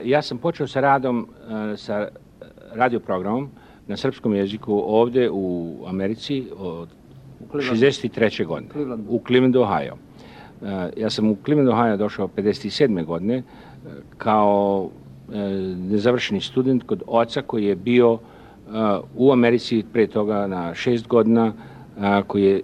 Ja sam počeo sa radom, sa radioprogramom na srpskom jeziku ovdje u Americi od 63. godine u Clevelandu, Ohio. Ja sam u Clevelandu, Ohio došao 57. godine kao nezavršeni student kod oca koji je bio u Americi pre toga na 6 godina, koji je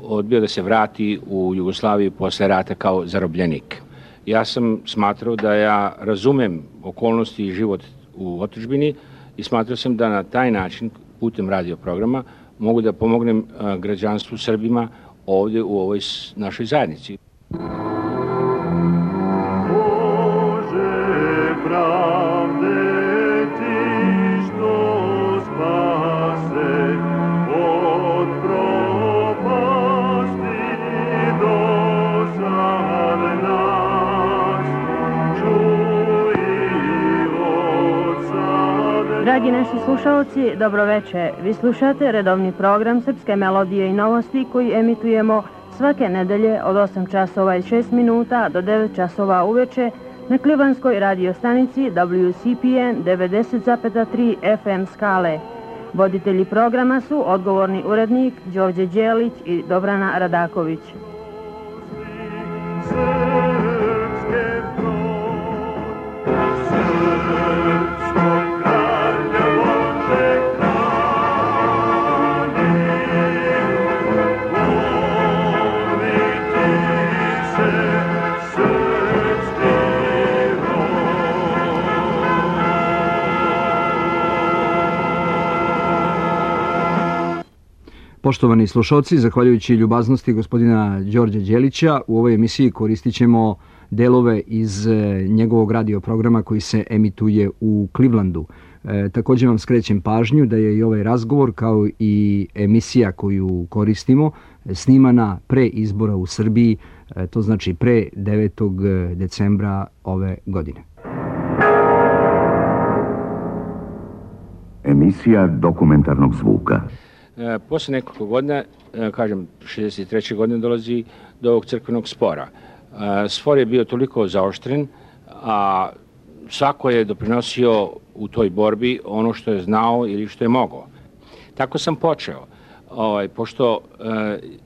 odbio da se vrati u Jugoslaviju posle rata kao zarobljenik. Ja sam smatrao da ja razumem okolnosti i život u otadžbini i smatrao sam da na taj način, putem radioprograma, mogu da pomognem građanstvu Srbima ovdje u ovoj našoj zajednici. Dragi naši slušalci, dobroveče. Vi slušate redovni program Srpske melodije i novosti koji emitujemo svake nedelje od 8 časova i 6 minuta do 9 časova uveče na Clevelandskoj radio stanici WCPN 90,3 FM skale. Voditelji programa su odgovorni urednik Đorđe Đelić i Dobrana Radaković. Poštovani slušalci, zahvaljujući ljubaznosti gospodina Đorđa Đelića, u ovoj emisiji koristit ćemo delove iz njegovog radioprograma koji se emituje u Clevelandu. Također vam skrećem pažnju da je i ovaj razgovor, kao i emisija koju koristimo, snimana pre izbora u Srbiji, to znači pre 9. decembra ove godine. Emisija dokumentarnog zvuka. Posle nekoliko godina, kažem 63. godine, dolazi do ovog crkvenog spora. Spor je bio toliko zaoštren, a svako je doprinosio u toj borbi ono što je znao ili što je mogao. Tako sam počeo. Pošto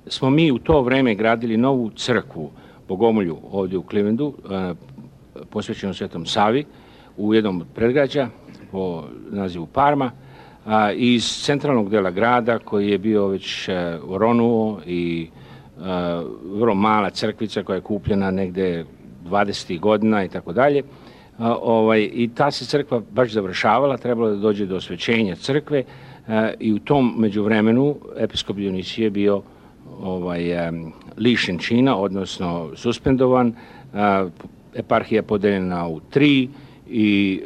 smo mi u to vreme gradili novu crkvu Bogomolju ovdje u Clevelandu, posvećenu Svetom Savi, u jednom od predgrađa po nazivu Parma, iz centralnog dela grada koji je bio već oronuo i vrlo mala crkvica koja je kupljena negde 20. godina i tako dalje. I ta se crkva baš završavala, trebalo da dođe do osvećenja crkve i u tom međuvremenu episkop Dionisije je bio lišen čina, odnosno suspendovan, eparhija podeljena u 3 i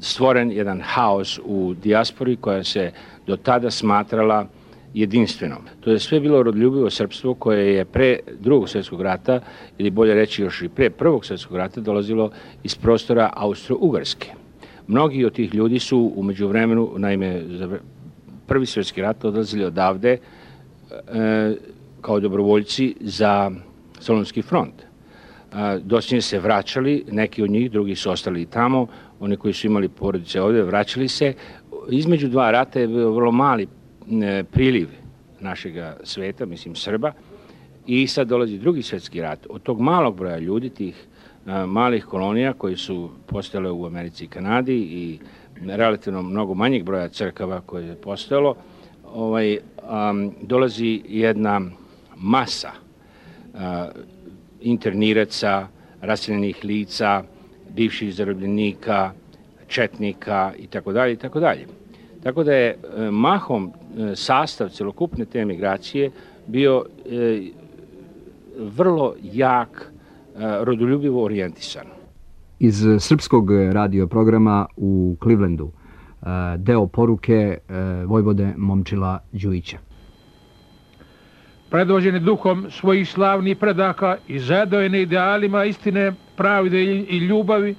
stvoren jedan haos u dijaspori koja se do tada smatrala jedinstvenom. To je sve bilo rodoljubivo srpstvo koje je pre Drugog svjetskog rata, ili bolje reći još i pre Prvog svjetskog rata, dolazilo iz prostora Austro-Ugarske. Mnogi od tih ljudi su u međuvremenu, naime, za Prvi svjetski rat odlazili odavde kao dobrovoljci za Solunski front. Dosljednje se vraćali, neki od njih, drugi su ostali i tamo, oni koji su imali porodice ovdje, vraćali se. Između dva rata je bio vrlo mali priliv našega sveta, mislim Srba, i sad dolazi Drugi svjetski rat. Od tog malog broja ljudi, tih malih kolonija koji su postojale u Americi i Kanadi i relativno mnogo manjeg broja crkava koje je postojalo, dolazi jedna masa interniraca, raseljenih lica, bivših zarobljenika, četnika itd. itd. Tako da je mahom sastav celokupne te migracije bio vrlo jak, rodoljubivo orijentisan. Iz srpskog radioprograma u Clevelandu, deo poruke vojvode Momčila Đujića. Predvođeni duhom svojih slavnih predaka i zadojeni idealima istine, pravde i ljubavi,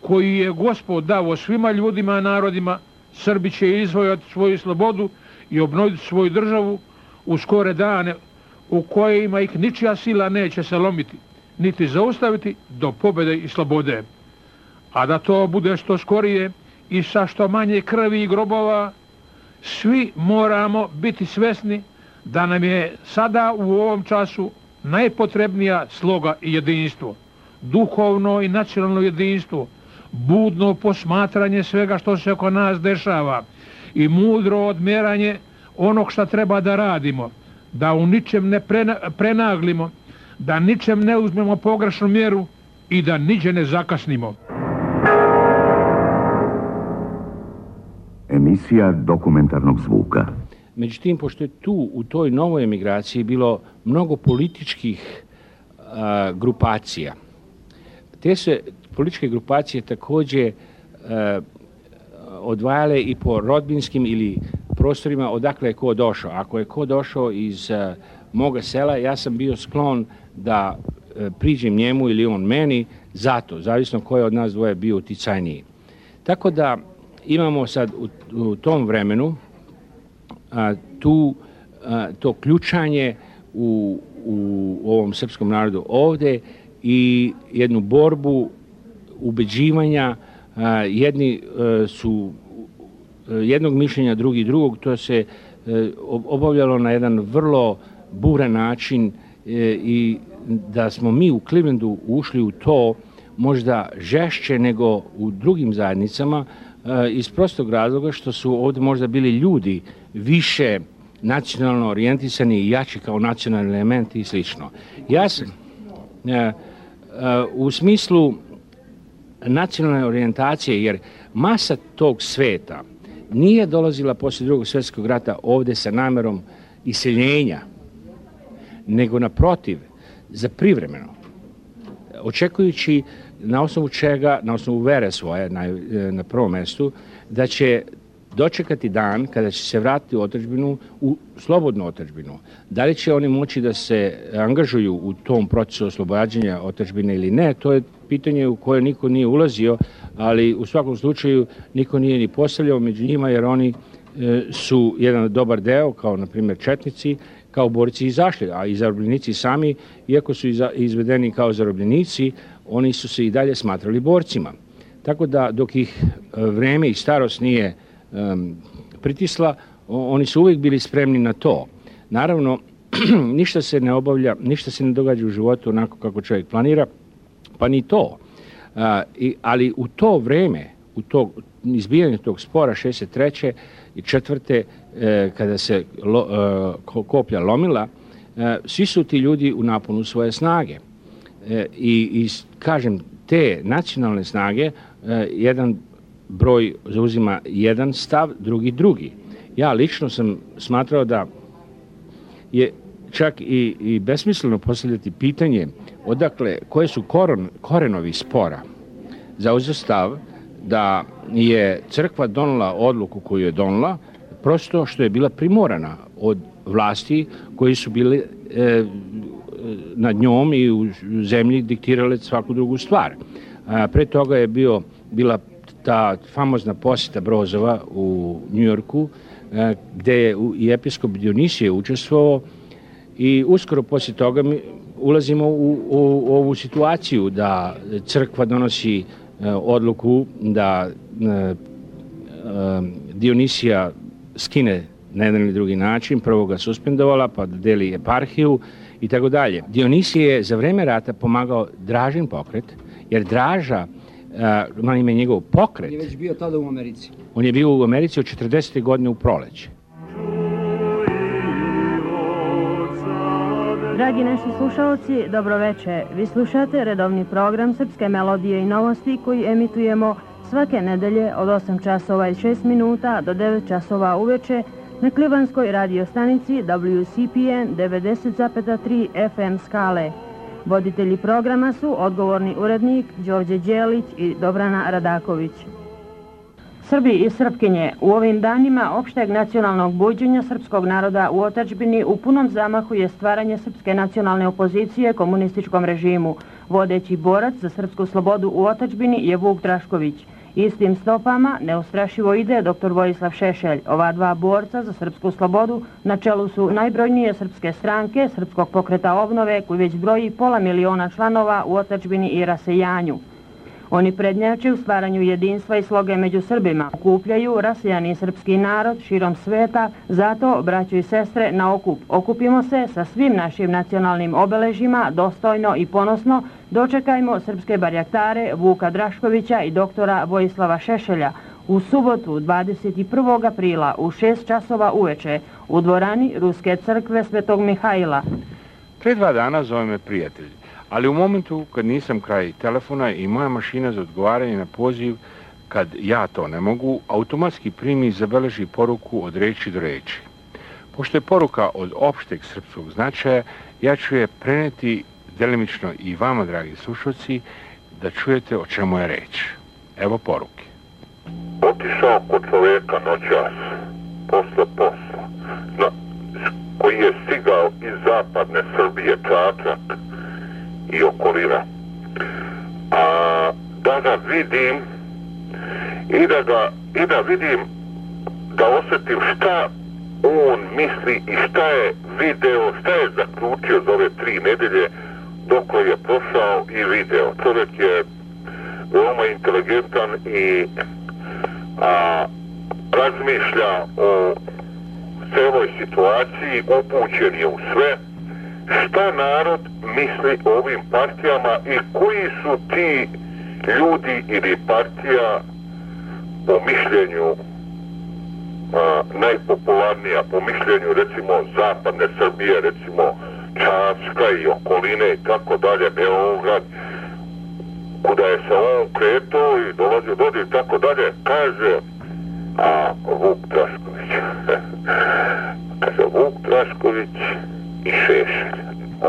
koju je Gospod dao svima ljudima i narodima, Srbi će izvojati svoju slobodu i obnoviti svoju državu u skore dane u kojima ih ničija sila neće se lomiti, niti zaustaviti do pobjede i slobode. a da to bude što skorije i sa što manje krvi i grobova, svi moramo biti svesni da nam je sada u ovom času najpotrebnija sloga i jedinstvo, duhovno i nacionalno jedinstvo, budno posmatranje svega što se oko nas dešava i mudro odmeranje onog što treba da radimo, da u ničem ne prenaglimo, da ničem ne uzmemo pogrešnu mjeru i da niđe ne zakasnimo. Emisija dokumentarnog zvuka. Međutim, pošto je tu u toj novoj emigraciji bilo mnogo političkih grupacija, te se političke grupacije također odvajale i po rodbinskim ili prostorima odakle je ko došao. Ako je ko došao iz moga sela, ja sam bio sklon da priđem njemu ili on meni, zato, zavisno ko je od nas dvoje bio uticajniji. Tako da imamo sad u tom vremenu to ključanje u ovom srpskom narodu ovdje i jednu borbu ubeđivanja, jedni su jednog mišljenja, drugi drugog. To se obavljalo na jedan vrlo buran način i da smo mi u Clevelandu ušli u to možda žešće nego u drugim zajednicama iz prostog razloga što su ovdje možda bili ljudi više nacionalno orijentisani i jači kao nacionalni elementi i slično. Ja sam u smislu nacionalne orijentacije, jer masa tog sveta nije dolazila poslije Drugog svjetskog rata ovdje sa namjerom iseljenja, nego naprotiv, za privremeno. Očekujući na osnovu čega, na osnovu vere svoje na prvom mjestu, da će dočekati dan kada će se vratiti u otadžbinu, u slobodnu otadžbinu. Da li će oni moći da se angažuju u tom procesu oslobađanja otadžbine ili ne, to je pitanje u koje niko nije ulazio, ali u svakom slučaju niko nije ni postavljao među njima, jer oni su jedan dobar deo, kao na primjer četnici, kao borci izašli, a i zarobljenici sami, iako su izvedeni kao zarobljenici, oni su se i dalje smatrali borcima. Tako da dok ih vreme i starost nije pritisla, oni su uvijek bili spremni na to. Naravno, ništa se ne obavlja, ništa se ne događa u životu onako kako čovjek planira, pa ni to. Ali u to vreme, u to izbijanje tog spora 63. i 4. kada se koplja lomila, svi su ti ljudi u naponu svoje snage. I kažem, te nacionalne snage, jedan broj zauzima jedan stav, drugi. Ja lično sam smatrao da je čak i besmisleno postavljati pitanje odakle, koje su korenovi spora. Zauzeo stav da je crkva donela odluku koju je donela, prosto što je bila primorana od vlasti koji su bili nad njom i u zemlji diktirale svaku drugu stvar. Pre toga je bila ta famozna posjeta Brozova u Njujorku, gdje je i episkop Dionisije učestvovao, i uskoro poslije toga mi ulazimo u ovu situaciju da crkva donosi odluku da Dionisija skine na jedan ili drugi način, prvo ga suspendovala, pa deli eparhiju i tako dalje. Dionisije je za vreme rata pomagao Dražin pokret, jer Draža, na ime njegov pokret... On je već bio tada u Americi. On je bio u Americi od 40. godine u proleće. Dragi naši slušalci, dobroveče. Vi slušate redovni program Srpske melodije i novosti koji emitujemo svake nedelje od 8 časova i 6 minuta do 9 časova uveče na Klivanskoj radiostanici WCPN 90,3 FM skale. Voditelji programa su odgovorni urednik Đorđe Đelić i Dobrana Radaković. Srbi i Srpkinje, u ovim danima opšteg nacionalnog buđenja srpskog naroda u otadžbini u punom zamahu je stvaranje srpske nacionalne opozicije komunističkom režimu. Vodeći borac za srpsku slobodu u otadžbini je Vuk Drašković. Istim stopama neustrašivo ide dr. Vojislav Šešelj. Ova dva borca za srpsku slobodu na čelu su najbrojnije srpske stranke, Srpskog pokreta obnove, koji već broji 500 000 članova u otadžbini i rasejanju. Oni prednjače u stvaranju jedinstva i sloge među Srbima, okupljaju rasijani srpski narod širom sveta, zato, braćo i sestre, na okup. Okupimo se sa svim našim nacionalnim obeležjima, dostojno i ponosno dočekajmo srpske barjaktare Vuka Draškovića i doktora Vojislava Šešelja u subotu 21. aprila u 6 časova uveče u dvorani Ruske crkve Svetog Mihajla. Pre 2 dana zove me prijatelj, ali u momentu kad nisam kraj telefona i moja mašina za odgovaranje na poziv, kad ja to ne mogu, automatski primi i zabeleži poruku od reči do reči. Pošto je poruka od opšteg srpskog značaja, ja ću je preneti delimično i vama, dragi slušalci, da čujete o čemu je reč. Evo poruke. Otišao kod čoveka noćas, posle posla, koji je stigao iz zapadne Srbije, Čačak i okolina. A da ga vidim i da vidim, da osjetim šta on misli i šta je video, šta je zaključio za ove 3 nedelje dok je prošao i video. Čovjek je veoma inteligentan i razmišlja o celoj situaciji, upućen je u sve. Šta narod misli o ovim partijama i koji su ti ljudi ili partija po mišljenju najpopularnija, po mišljenju recimo zapadne Srbije, recimo Čačka i okoline i tako dalje, Beograd, kuda je se on kretao i dolazio dodi i tako dalje, kaže Vuk Drašković. Kaže Vuk Drašković i Šešelj.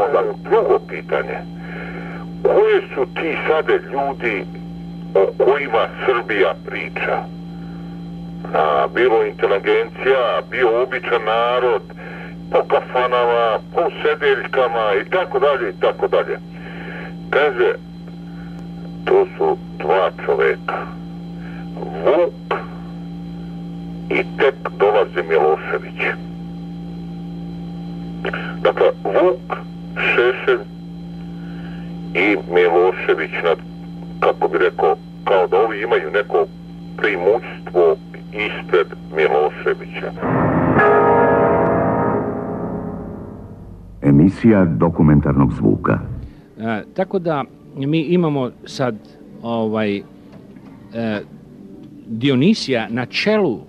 Onda drugo pitanje, koji su ti sade ljudi o kojima Srbija priča? Bilo inteligencija, bio običan narod, po kafanama, po sedeljkama i tako dalje i tako dalje. Kaže, to su 2 čoveka. Vuk i tek dolazi Milošević. Dakle, Vuk, Šešelj i Milošević, kako bi rekao, kao da ovi imaju neko primućstvo ispred Miloševića. Emisija dokumentarnog zvuka. Tako da mi imamo sad Dionisija na čelu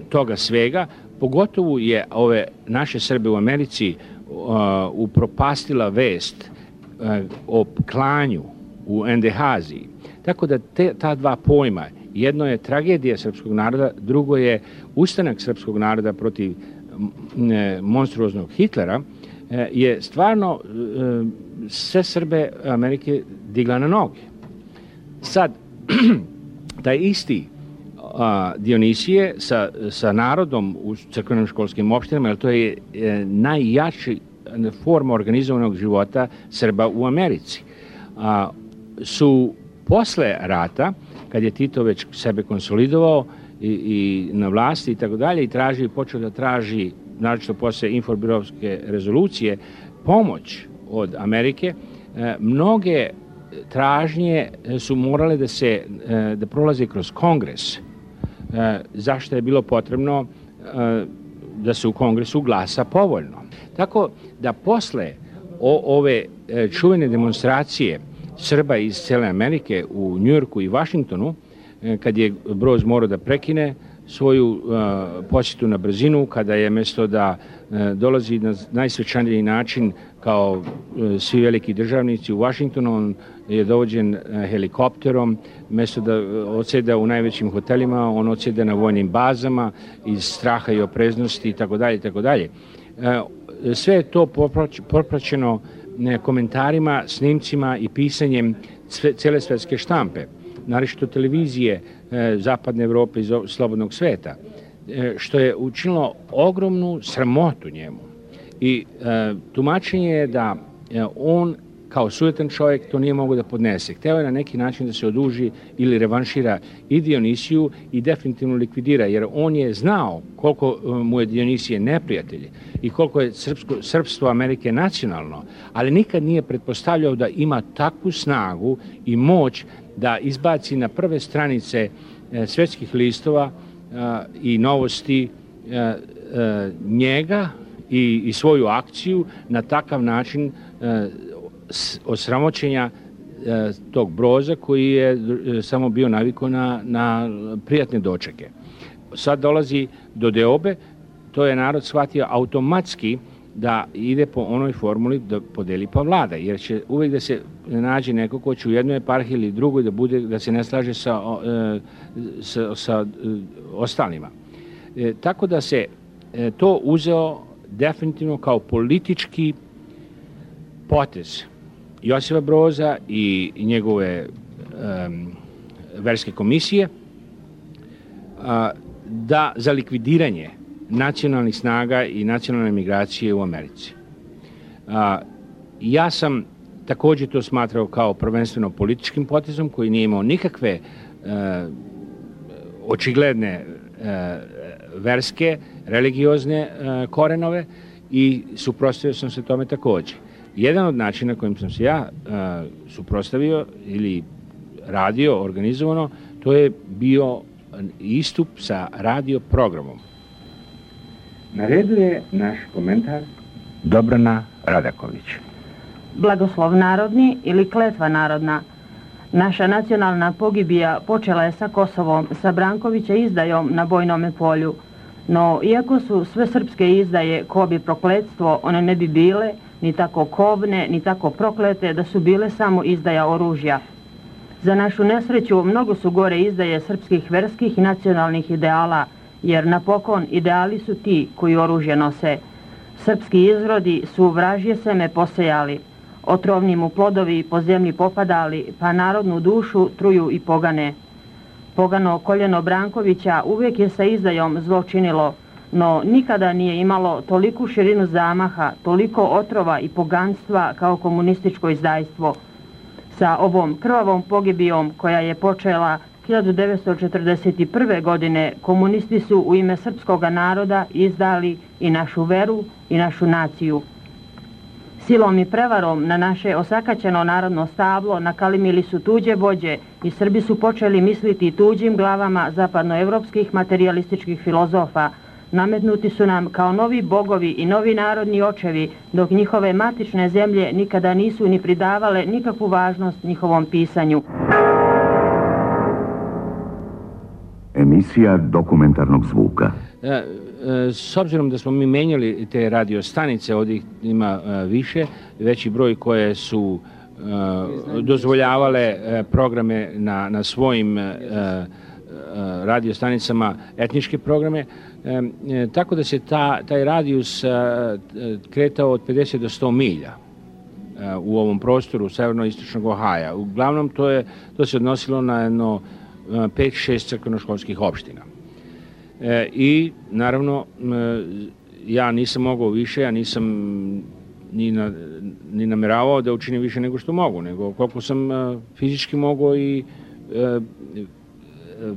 toga svega, pogotovo je ove naše Srbe u Americi upropastila vest o klanju u Endehaziji. Tako da ta 2 pojma, jedno je tragedija srpskog naroda, drugo je ustanak srpskog naroda protiv monstruoznog Hitlera, je stvarno sve Srbe Amerike digla na noge. Sad, taj isti Dionisije sa narodom u crkvenim školskim opštinama, jer to je najjači forma organizovanog života Srba u Americi, su posle rata, kad je Tito već sebe konsolidovao i na vlasti i tako dalje, i počeo da traži, naročito posle Infobirovske rezolucije, pomoć od Amerike, mnoge tražnje su morale da prolaze kroz Kongres, zašto je bilo potrebno da se u Kongresu glasa povoljno. Tako da posle ove čuvene demonstracije Srba iz cele Amerike u Njujorku i Vašingtonu, kad je Broz morao da prekine svoju posjetu na brzinu, kada je mesto da dolazi na najsvečaniji način kao svi veliki državnici u Vašingtonu, on je dovođen helikopterom, mesto da odseda u najvećim hotelima, on odseda na vojnim bazama iz straha i opreznosti itd. Sve je to popraćeno komentarima, snimcima i pisanjem cele svetske štampe, naročito televizije Zapadne Evrope i slobodnog sveta, što je učinilo ogromnu sramotu njemu. I tumačenje je da on kao sujetan čovjek to nije mogao da podnese. Hteo je na neki način da se oduži ili revanšira i Dionisiju i definitivno likvidira, jer on je znao koliko mu je Dionisije neprijatelj i koliko je srpstvo Amerike nacionalno, ali nikad nije pretpostavljao da ima takvu snagu i moć da izbaci na prve stranice svetskih listova i novosti njega i svoju akciju na takav način osramoćenja tog Broza koji je samo bio navikao na prijatne dočeke. Sad dolazi do deobe, to je narod shvatio automatski da ide po onoj formuli da podeli pa vlada, jer će uvijek da se nađe neko ko će u jednoj eparhiji ili drugoj da se ne slaže sa ostalima. Tako da se to uzeo definitivno kao politički potez Josipa Broza i njegove verske komisije za likvidiranje nacionalnih snaga i nacionalne migracije u Americi. Ja sam također to smatrao kao prvenstveno političkim potezom koji nije imao nikakve očigledne verske, religiozne korenove i suprotstavio sam se tome također. Jedan od načina kojim sam se ja suprotstavio ili radio organizovano, to je bio istup sa radio programom. Na redu je naš komentar Dobrana Radaković. Blagoslov narodni ili kletva narodna. Naša nacionalna pogibija počela je sa Kosovom, sa Brankovića izdajom na bojnome polju. No, iako su sve srpske izdaje ko bi prokletstvo, one ne bi bile ni tako kobne, ni tako proklete da su bile samo izdaja oružja. Za našu nesreću mnogo su gore izdaje srpskih verskih i nacionalnih ideala, jer napokon ideali su ti koji oružje nose. Srpski izrodi su vražje seme posejali, otrovni mu plodovi po zemlji popadali, pa narodnu dušu truju i pogane. Pogano koljeno Brankovića uvijek je sa izdajom zlo činilo, no nikada nije imalo toliku širinu zamaha, toliko otrova i poganstva kao komunističko izdajstvo. Sa ovom krvavom pogibijom koja je počela 1941. godine komunisti su u ime srpskog naroda izdali i našu veru i našu naciju. Silom i prevarom na naše osakaćeno narodno stablo nakalimili su tuđe vođe i Srbi su počeli misliti tuđim glavama zapadnoevropskih materijalističkih filozofa. Nametnuti su nam kao novi bogovi i novi narodni očevi, dok njihove matične zemlje nikada nisu ni pridavale nikakvu važnost njihovom pisanju. Emisija dokumentarnog zvuka. S obzirom da smo mi menjali te radio stanice, ovdje ima više, veći broj koje su dozvoljavale programe na svojim radio stanicama, etničke programe, tako da se taj radijus kretao od 50 do 100 milja u ovom prostoru severno-istočnog Ohaja. Uglavnom to se odnosilo na jedno 5-6 crkvenoškolskih opština. I naravno ja nisam mogao više, ja nisam ni nameravao da učinim više nego što mogu, nego koliko sam fizički mogao i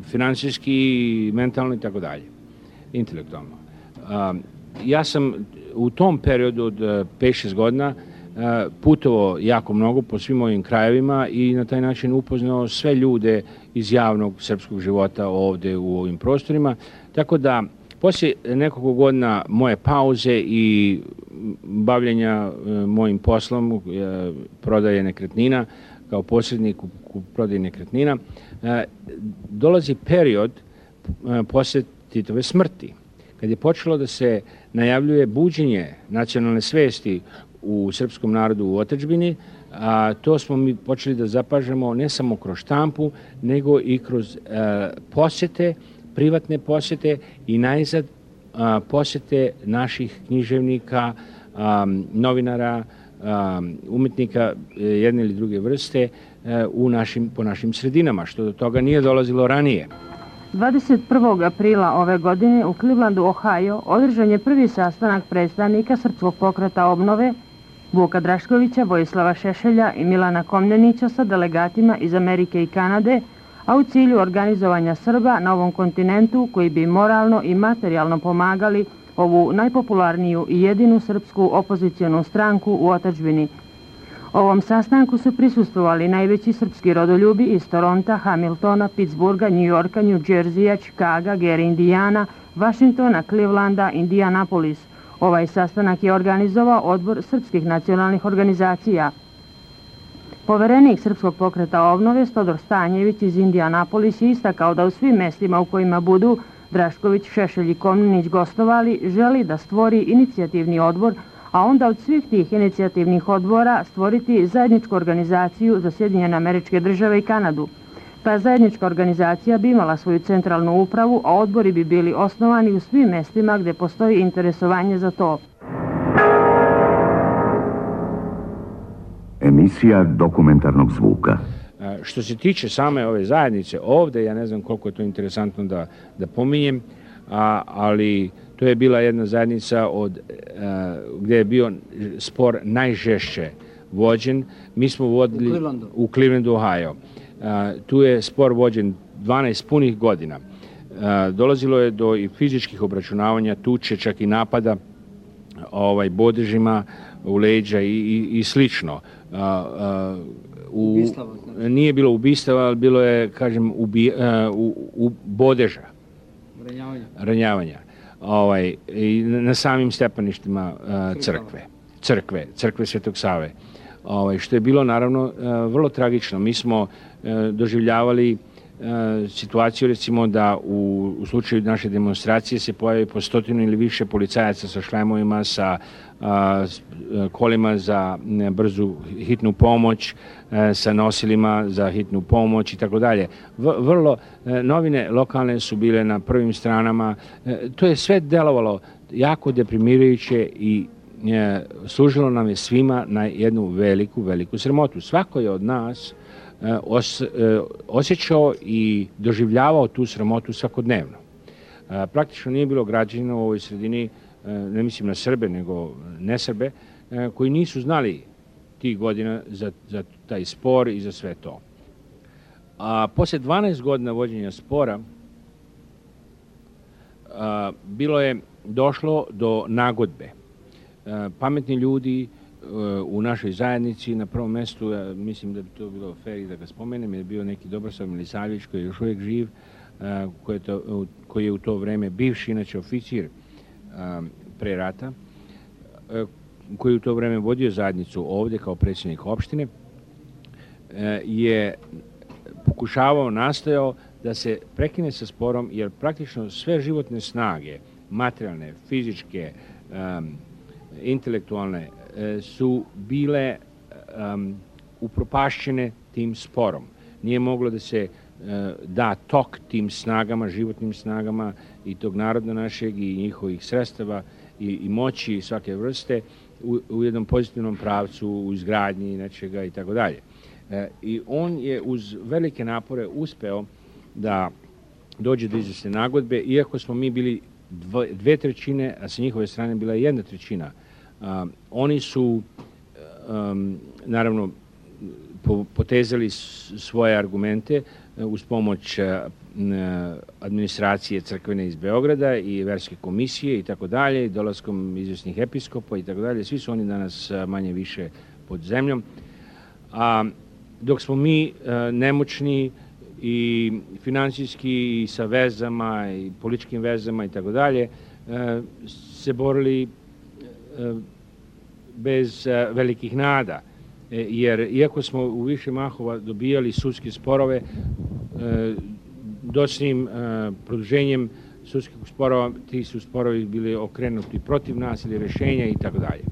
finansijski, i mentalno i tako dalje, intelektualno. Ja sam u tom periodu od 5-6 godina putovao jako mnogo po svim ovim krajevima i na taj način upoznao sve ljude iz javnog srpskog života ovdje u ovim prostorima. Tako da, poslije nekoliko godina moje pauze i bavljenja mojim poslom, prodaje nekretnina, kao posrednik u prodaji nekretnina, dolazi period poslije Titove smrti, kad je počelo da se najavljuje buđenje nacionalne svesti u srpskom narodu u otadžbini, a to smo mi počeli da zapažamo ne samo kroz štampu, nego i kroz posjete, privatne posjete i najzad posjete naših književnika, novinara, umetnika jedne ili druge vrste po našim sredinama, što do toga nije dolazilo ranije. 21. aprila ove godine u Clevelandu, Ohio, održan je prvi sastanak predstavnika Srpskog pokreta obnove Vuka Draškovića, Vojislava Šešelja i Milana Komnenića sa delegatima iz Amerike i Kanade, a u cilju organizovanja Srba na ovom kontinentu koji bi moralno i materijalno pomagali ovu najpopularniju i jedinu srpsku opozicionu stranku u otadžbini. Ovom sastanku su prisustvovali najveći srpski rodoljubi iz Toronta, Hamiltona, Pittsburgha, Njujorka, New Jerseya, Chicaga, Gary, Indijana, Vašingtona, Clevelanda, Indianapolis. Ovaj sastanak je organizovao Odbor srpskih nacionalnih organizacija. Poverenik Srpskog pokreta obnove Stodor Stanjević iz Indianapolis je istakao da u svim mestima u kojima budu Drašković, Šešelj i Komnenić gostovali želi da stvori inicijativni odbor, a onda od svih tih inicijativnih odbora stvoriti zajedničku organizaciju za Sjedinjene Američke Države i Kanadu. Ta zajednička organizacija bi imala svoju centralnu upravu, a odbori bi bili osnovani u svim mestima gde postoji interesovanje za to. Emisija dokumentarnog zvuka. Što se tiče same ove zajednice ovde, ja ne znam koliko je to interesantno da pominjem, ali to je bila jedna zajednica gde je bio spor najžešće vođen. Mi smo vodili u Clevelandu, Ohio. Tu je spor vođen 12 punih godina. Dolazilo je do i fizičkih obračunavanja, tuče, čak i napada bodežima u leđa i slično. Nije bilo ubistava, ali bilo je, kažem, bodeža. Ranjavanja. I na samim stepeništima crkve Svetog Save. Što je bilo, naravno, vrlo tragično. Mi smo doživljavali situaciju, recimo, da u slučaju naše demonstracije se pojavi po 100 ili više policajaca sa šlemovima, sa kolima za brzu hitnu pomoć, sa nosilima za hitnu pomoć i tako dalje. Vrlo, novine lokalne su bile na prvim stranama. To je sve delovalo jako deprimirajuće i služilo nam je svima na jednu veliku sramotu. Svako je od nas osjećao i doživljavao tu sramotu svakodnevno. Praktično nije bilo građana u ovoj sredini, ne mislim na Srbe, nego ne Srbe, koji nisu znali tih godina za taj spor i za sve to. A posle 12 godina vođenja spora bilo je došlo do nagodbe. Pametni ljudi u našoj zajednici, na prvom mestu, mislim da bi to bilo fair i da ga spomenem, je bio neki Dobrosav Milisavljević koji je još uvijek živ, koji je u to vreme bivši, inače oficir pre rata, koji je u to vreme vodio zajednicu ovde kao predsjednik opštine, je pokušavao, nastojao da se prekine sa sporom, jer praktično sve životne snage, materijalne, fizičke, intelektualne, su bile upropašćene tim sporom. Nije moglo da se da tok tim snagama, životnim snagama i tog naroda našeg i njihovih sredstava i moći svake vrste u jednom pozitivnom pravcu, u izgradnji nečega i tako dalje. I on je uz velike napore uspeo da dođe do izvesne nagodbe, iako smo mi bili 2/3, a sa njihove strane bila 1/3. Oni su, naravno, potezali svoje argumente uz pomoć administracije crkvene iz Beograda i verske komisije i tako dalje, dolaskom izvesnih episkopa i tako dalje. Svi su oni danas manje više pod zemljom. Dok smo mi nemoćni i finansijski i sa vezama i političkim vezama i tako dalje, se borili bez velikih nada. Jer iako smo u više mahova dobijali sudske sporove, dočnim produženjem sudskih sporova, ti su sporovi bili okrenuti protiv nas ili rešenja i tako dalje.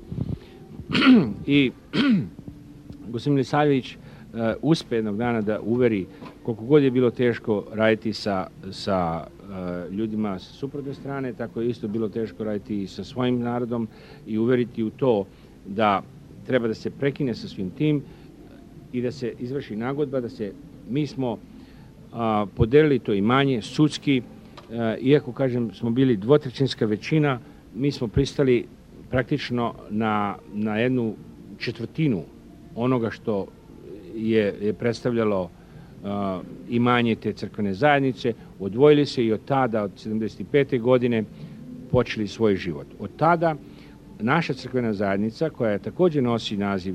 I gospodin Milisavljević uspe jednog dana da uveri, koliko god je bilo teško raditi sa ljudima sa suprotne strane, tako je isto bilo teško raditi i sa svojim narodom i uveriti u to da treba da se prekine sa svim tim i da se izvrši nagodba, mi smo podelili to imanje sudski, iako, kažem, smo bili 2/3 većina, mi smo pristali praktično na jednu četvrtinu onoga što je predstavljalo imanje te crkvene zajednice, odvojili se i od tada, od 75. godine, počeli svoj život. Od tada naša crkvena zajednica, koja također nosi naziv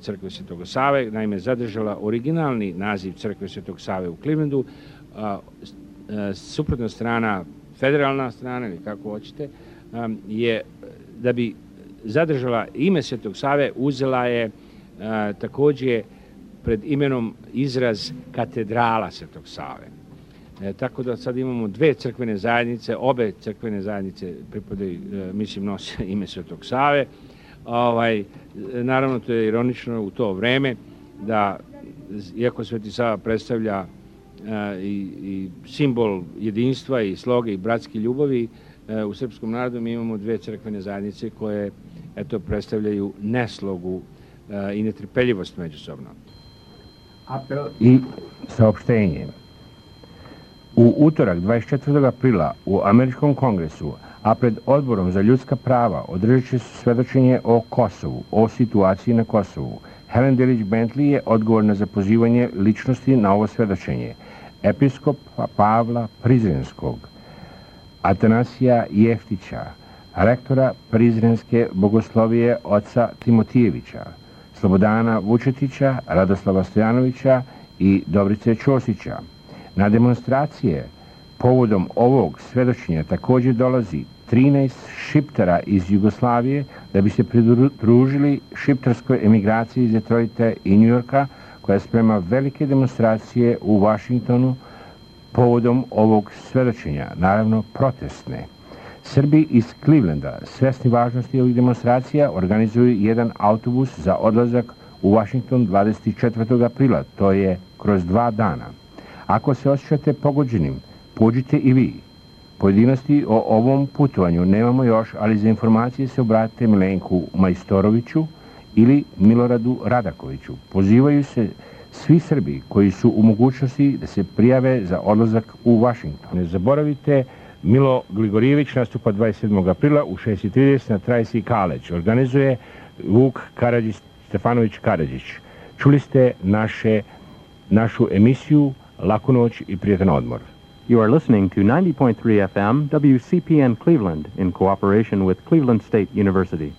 Crkve Svetog Save, naime zadržala originalni naziv Crkve Svetog Save u Clevelandu, suprotna strana, federalna strana ili kako hoćete, je da bi zadržala ime Svetog Save, uzela je također pred imenom izraz katedrala Svetog Save. Tako da sad imamo dve crkvene zajednice, obe crkvene zajednice pripadaju, mislim, nose ime Svetog Save. Naravno, to je ironično u to vreme da, iako Sveti Sava predstavlja i simbol jedinstva i sloge i bratske ljubavi, u srpskom narodu mi imamo dve crkvene zajednice koje predstavljaju neslogu i netrpeljivost međusobno. Apel i saopštenje. U utorak 24. aprila u Američkom kongresu, a pred Odborom za ljudska prava održat će se svedočenje o Kosovu, o situaciji na Kosovu. Helen Delić Bentley je odgovorna za pozivanje ličnosti na ovo svedočenje. Episkopa Pavla Prizrenskog, Atanasija Jeftića, rektora Prizrenske bogoslovije oca Timotijevića, Slobodana Vučetića, Radoslava Stojanovića i Dobrice Ćosića. Na demonstracije povodom ovog svedočenja također dolazi 13 šiptara iz Jugoslavije da bi se pridružili šiptarskoj emigraciji iz Detroita i Njujorka, koja sprema velike demonstracije u Vašingtonu povodom ovog svedočenja, naravno protestne. Srbi iz Clevelanda, svesni važnosti ovih demonstracija, organizuju jedan autobus za odlazak u Vašington 24. aprila, to je kroz 2 dana. Ako se osjećate pogođenim, pođite i vi. Pojedinosti o ovom putovanju nemamo još, ali za informacije se obratite Milenku Majstoroviću ili Miloradu Radakoviću. Pozivaju se svi Srbi koji su u mogućnosti da se prijave za odlazak u Vašington. Ne zaboravite, Milo Gligorijević nastupa 27. aprila u 6:30 na Tracy College. Organizuje Vuk Stefanović Karadžić. Čuli ste našu emisiju Laku noć i prijetan odmor. You are listening to 90.3 FM WCPN Cleveland in cooperation with Cleveland State University.